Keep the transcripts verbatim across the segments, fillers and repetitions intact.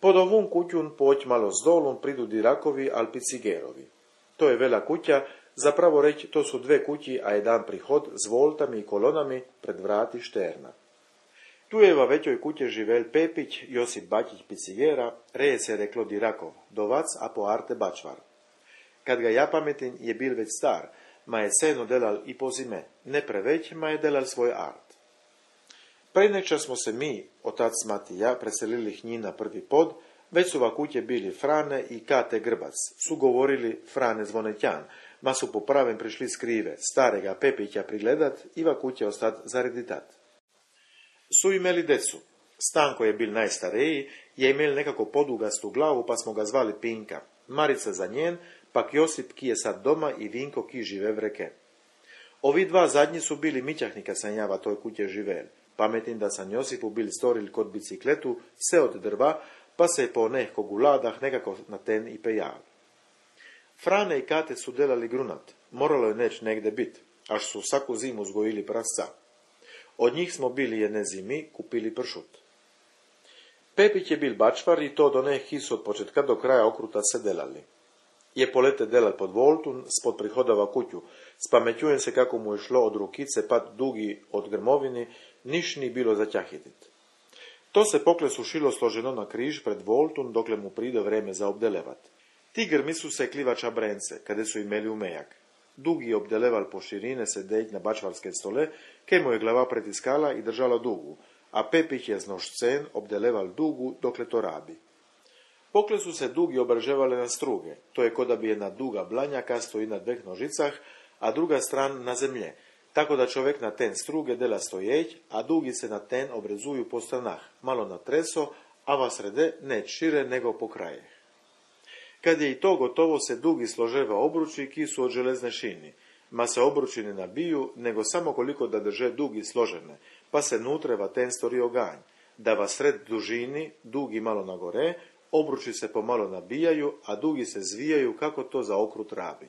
Pod ovun kućun poć malo s dolun pridu dirakovi alpicigerovi. To je vela kuća, zapravo reći to su dve kući, a jedan prihod s voltami i kolonami pred vrati šterna. Tu je va većoj kuće živel Pepić, Josip Bačić Picigera, reje se reklo Dirakov, dovac a po arte Bačvar. Kad ga ja pametin je bil već star, ma je seno delal i po zime, ne preveć, ma je delal svoj art. Prejneča smo se mi, otac mati ja, preselili hnji na prvi pod, već su va kuće bili Frane i Kate Grbac, su govorili Frane Zvonetjan, ma su po pravem prišli skrive, starega Pepića prigledat i va kuće ostat zareditat. Su imeli decu. Stanko je bil najstareji, je imel nekako podugastu glavu, pa smo ga zvali Pinka. Marica za njen, pak Josip ki je sad doma i Vinko ki žive v reke. Ovi dva zadnji su bili mićahnika sam ja va toj kuće živel. Pametim da sam Josipu bil storil kod bicikletu, se od drva, pa se po nekako guladah nekako na ten i pejal. Frane i Kate su delali grunat, moralo je neć negde bit, až su svaku zimu zgojili prasca. Od njih smo bili jedne zimi kupili pršut. Pepić je bil bačvar i to do nekih od početka do kraja okruta se delali. Je polete delal pod voltun, spod prihodava kuću. Spamećujem se kako mu je šlo od rukice pat dugi od grmovini, niš ni bilo zaćahitit. To se pokle sušilo složeno na križ pred voltun, dokle mu pride vreme za obdelevat. Ti grmi su se klivača brence, kade su imeli umejak. Dugi je obdeleval po širine sedeć na bačvarske stole, ke mu je glava pretiskala i držala dugu, a Pepić je z nožcen obdeleval dugu dokle to rabi. Pokle su se dugi obrževale na struge, to je ko da bi jedna duga blanjaka stoji na dveh nožicah, a druga stran na zemlje, tako da čovjek na ten struge dela stojeć, a dugi se na ten obrezuju po stranah, malo na treso, a va srede ne šire nego po kraje. Kad je i to gotovo se dugi složeva obruči ki su od železne šini, ma se obruči ne nabiju, nego samo koliko da drže dugi složene, pa se nutreva ten stori oganj, da va sred dužini, dugi malo na gore, obruči se pomalo nabijaju, a dugi se zvijaju kako to za okrut rabi.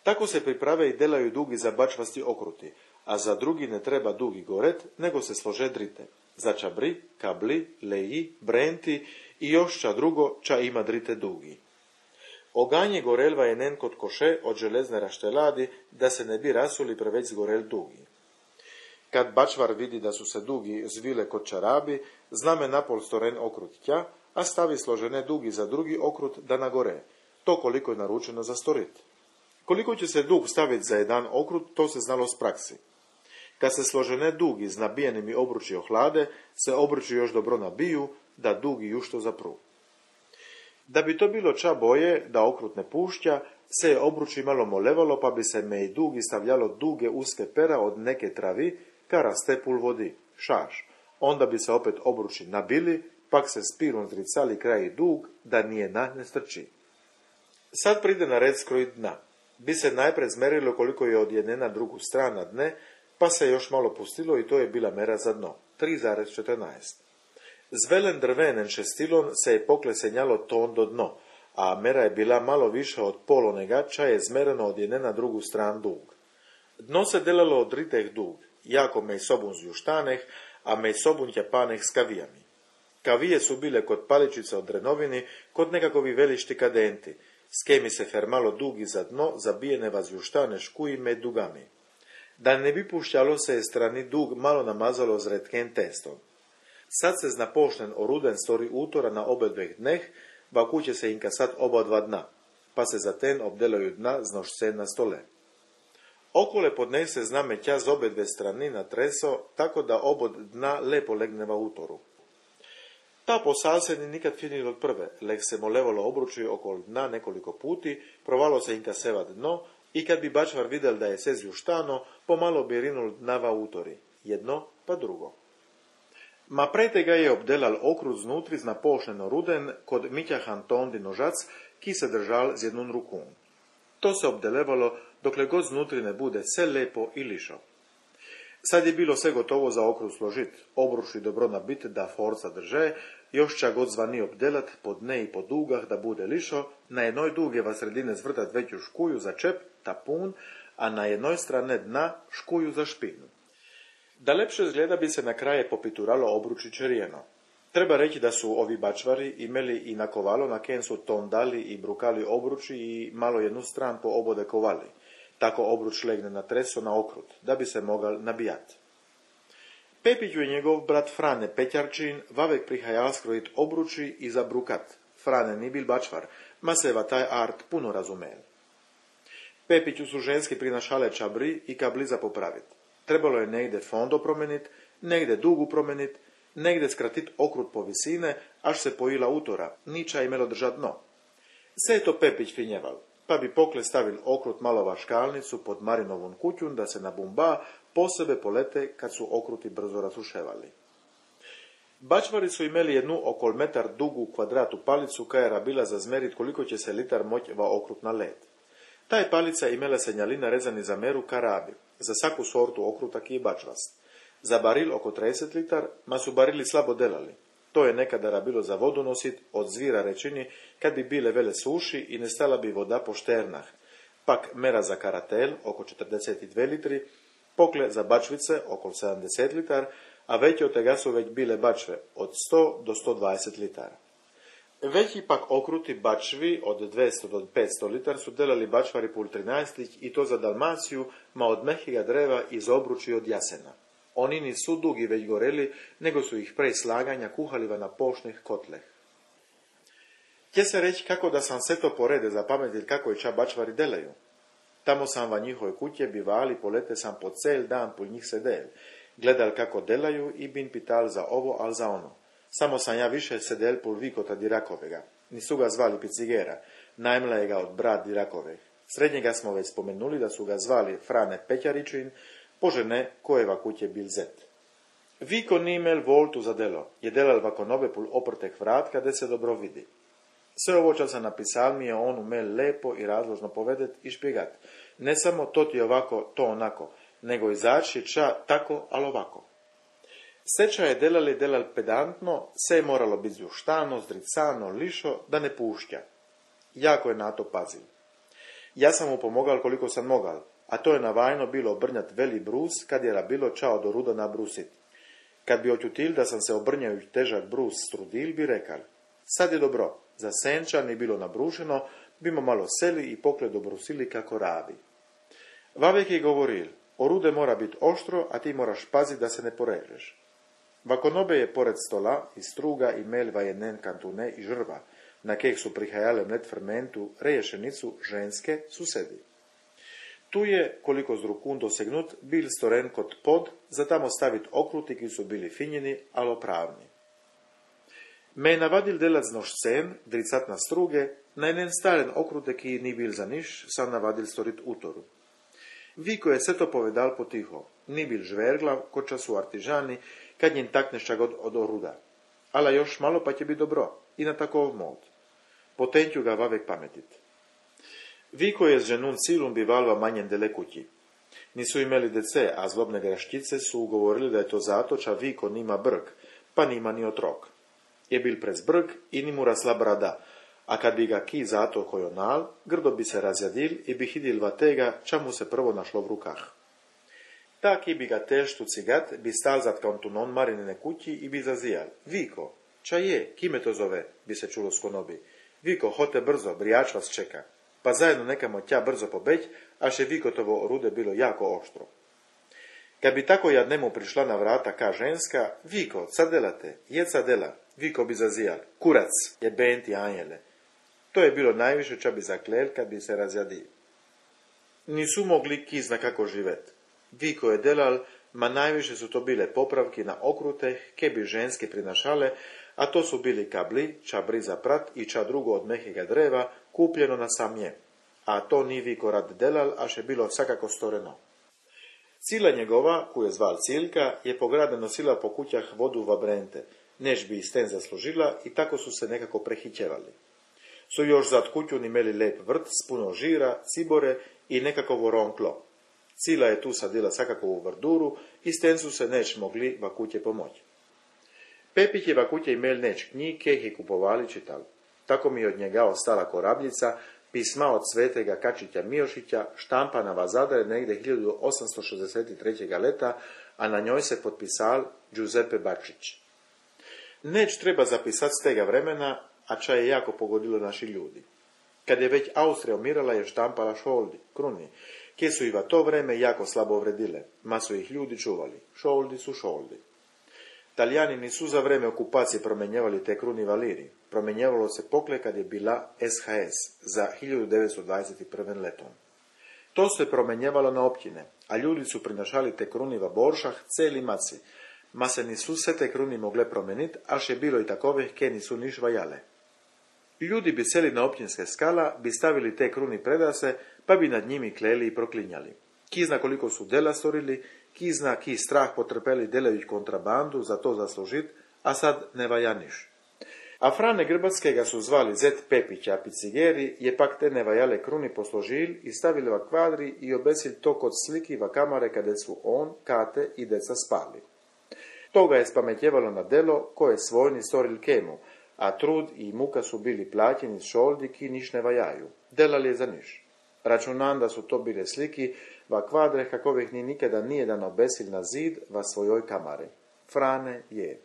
Tako se priprave i delaju dugi za bačvasti okruti, a za drugi ne treba dugi goret, nego se slože drite. Za čabri, kabli, leji, brenti i još ča drugo ča ima drite dugi. Oganje gorelva je nen kod koše od železne rašteladi, da se ne bi rasuli preveć zgorel dugi. Kad bačvar vidi da su se dugi zvile kod čarabi, zname napol storen okrut tja, a stavi složene dugi za drugi okrut da nagore, to koliko je naručeno za storit. Koliko će se dug staviti za jedan okrut, to se znalo s praksi. Kad se složene dugi z nabijenim i obruči ohlade, se obruči još dobro nabiju, da dugi jušto zapru. Da bi to bilo ča boje, da okrut ne pušća, se je obruči malo molevalo, pa bi se me i dugi stavljalo duge uske pera od neke travi, ka raste pul vodi, šaš. Onda bi se opet obruči nabili, pak se spirom zricali kraj i dug, da nije na ne strči. Sad pride na red skroj dna. Bi se najpred zmerilo koliko je od jedne na drugu strana dne, pa se još malo pustilo i to je bila mera za dno, tri zarez četrnaest. Z velen drvenen šestilon se je poklesenjalo ton do dno, a mera je bila malo više od polonega, ča je zmereno od jedne na drugu stran dug. Dno se delalo od riteh dug, jako mej sobun z juštaneh, a mej sobun tjapaneh s kavijami. Kavije su bile kod paličice od drenovini, kod nekakovi velišti kadenti, s kemi se fermalo dugi za dno, zabijene vas juštane škuji med dugami. Da ne bi pušćalo se je strani dug malo namazalo z redken testom. Sad se zna pošten oruden stori utora na obe dveh dneh, ba kuće se inka sad oba dva dna, pa se za ten obdelaju dna z nožce na stole. Okole pod dneh se zna metja z obe dve strani na treso, tako da obod dna lepo legneva utoru. Ta posal se ni nikad finil od prve, leh se molevalo obruči okol dna nekoliko puti, provalo se inka sevat dno i kad bi bačvar videl da je se zjuštano, pomalo bi rinul dnava utori, jedno pa drugo. Ma prete ga je obdelal okrut znutri z napošneno ruden kod Mićahan tondi nožac, ki se držal z jednun rukun. To se obdelevalo dokle god znutri ne bude se lepo i lišo. Sad je bilo sve gotovo za okrut složit, obruši dobro nabit da forca drže, još ča god zvani obdelat po dne i po dugah da bude lišo, na jednoj duge va sredine zvrtat veću škuju za čep, tapun, a na jednoj strane dna škuju za špinu. Da lepše izgleda bi se na kraje popituralo obruči čerijeno. Treba reći da su ovi bačvari imeli i nakovalo na ken su tondali i brukali obruči i malo jednu stran po obode kovali. Tako obruč legne na treso na okrut, da bi se mogal nabijati. Pepiću i njegov brat Frane Pećarčin vavek prihajal skrojit obruči i zabrukat. Frane ni bil bačvar, ma se va taj art puno razumel. Pepiću su ženski prinašale čabri i kabli za popravit. Trebalo je negde fondo promenit, negde dugu promenit, negde skratit okrut po visine, až se pojila utora, niča imelo držat dno. Se je to Pepić finjeval, pa bi pokle stavil okrut malo vaškalnicu pod Marinovun kućun da se na bumba posebe polete kad su okruti brzo rasuševali. Bačvari su imeli jednu okol metar dugu kvadratu palicu kajera bila za zmerit koliko će se litar moć va okrut na led. Taj palica imela senjalina rezani za meru karabi, za svaku sortu okruta ki je bačvast. Za baril oko trideset litar, ma su barili slabo delali. To je nekada bilo za vodu nosit od zvira rečini kad bi bile vele suši i ne stala bi voda po šternah. Pak mera za karatel oko četrdeset dva litri, pokle za bačvice oko sedamdeset litar, a veće od tega su već bile bačve od sto do sto dvadeset litara. Veći pak okruti bačvi od dvesta do petsto litar su delali bačvari pul trinaestih i to za Dalmaciju, ma od mehiga dreva iz obruči od jasena. Oni nisu dugi već goreli, nego su ih prej slaganja kuhaliva na pošnih kotleh. Htje se reći kako da sam se to porede zapametil kako i ča bačvari delaju. Tamo sam va njihove kuće bivali, polete sam po cel dan pul njih sedel. Gledal kako delaju i bin pital za ovo, al za ono. Samo sam ja više sedel pul vikota Dirakovega. Nisu ga zvali Picigera, najmla je ga od brat Dirakove. Srednjega smo već spomenuli da su ga zvali Frane Pećaričin, požene kojeva kuće bil zet. Viko ni imel voltu za delo, je delal vako nove pul oprtek vrat, kada se dobro vidi. Sve ovo ča sam napisal mi je on umel lepo i razložno povedet i špjegat. Ne samo to ti ovako, to onako, nego izaći ča tako, al ovako. Seča je delali delal pedantno, se je moralo biti zjuštano, zdricano, lišo, da ne pušća. Jako je na to pazil. Ja sam mu pomogal koliko sam mogal, a to je navajno bilo obrnjat veli brus, kad je bilo čao do ruda nabrusit. Kad bi oćutil da sam se obrnjajuć težak brus strudil, bi rekal, sad je dobro, za senča ni bilo nabrušeno, bimo malo seli i pokle dobrusili kako rabi. Vavek je govoril, orude mora biti oštro, a ti moraš pazit da se ne porežeš. Vakonobe je pored stola i struga i melva jenen kantune i žrva, na keh su prihajale mlet fermentu, reješenicu ženske susedi. Tu je, koliko z rukun dosegnut, bil storen kot pod, za tamo stavit okruti, ki su bili finjeni, alo pravni. Me je navadil delat z nožcem, dricat na struge, na enen staren okrute, ki ni bil za niš, sam navadil storit utoru. Viko je sve to povedal potiho, ni bil žverglav, ko času artižani, kad njen takneš god od oruda. Ala još malo pa će biti dobro, i na takov mod. Potenću ga vavek pametit. Viko je s ženun cilum bivalva manjen dele kući. Nisu imeli dece, a zlobne graštice su ugovorili da je to zato ča Viko nima brg, pa nima ni otrok. Je bil prez brg i ni mu rasla brada, a kad bi ga ki zato kojonal, grdo bi se razjadil i bi hidil va tega, ča mu se prvo našlo v rukah. Ta ki bi ga teštu cigat, bi stal zat kantunon Marinine kući i bi zazijal. Viko, ča je, kime to zove, bi se čulo s konobi. Viko, hote brzo, brijač vas čeka. Pa zajedno nekamo tja brzo pobeć, až je Vikotovo orude bilo jako oštro. Kad bi tako jadnemu prišla na vrata ka ženska, Viko, ca delate, je ca dela, Viko bi zazijal, kurac, je benti anjele. To je bilo najviše ča bi zaklel kad bi se razjadil. Nisu mogli ki zna kako živet. Viko je delal, ma najviše su to bile popravki na okruteh, ke bi ženske prinašale, a to su bili kabli, ča briza prat i ča drugo od mehega dreva, kupljeno na sam nje. A to ni Viko rad delal, až je bilo svakako storeno. Cila njegova, koju je zval Cilka, je po grade nosila po kućah vodu va brente, než bi isten zaslužila i tako su se nekako prehićevali. Su još zad kućun imeli lep vrt s puno žira, cibore i nekako ronklo. Cila je tu sadila svakakovu vrduru i sten su se neč mogli va kuće pomoći. Pepih je va kuće imel neč knjig, keh je kupovali čital. Tako mi od njega ostala korabljica, pisma od svetega Kačića Miošića, štampana va Zadre negde hiljadu osamsto šezdeset trećeg leta, a na njoj se potpisal Giuseppe Bačić. Neć treba zapisati s tega vremena, a ča je jako pogodilo naši ljudi. Kad je već Austrija umirala, je štampala šoldi, kruni, kje su i va to vreme jako slabo vredile, ma su ih ljudi čuvali. Šoldi su šoldi. Talijani nisu za vreme okupacije promenjevali te kruni valiri. Promenjevalo se pokle kad je bila es ha es za hiljadu devetsto dvadeset prve letom. To se promenjevalo na općine, a ljudi su prinašali te kruni va boršah celi maci, ma se nisu se te kruni mogle promeniti, až je bilo i takovih ke nisu niš vajale. Ljudi bi seli na općinske skala, bi stavili te kruni predase, pa bi nad njimi kleli i proklinjali. Ki zna koliko su dela storili, ki zna ki strah potrpeli delević kontrabandu za to zaslužit, a sad ne vaja niš. A Frane Grbatskega su zvali Zet Pepića Picigeri, je pak te nevajale kruni posložil i stavili va kvadri i obesil to kod sliki va kamare kade su on, Kate i deca spali. Toga je spametjevalo na delo koje svojni storil kemu, a trud i muka su bili plaćeni s šoldi ki niš ne vajaju. Delali je za niš. Računam da su to bile sliki va kvadre kakovih ni nikada nijedan obesil na zid va svojoj kamare. Frane je.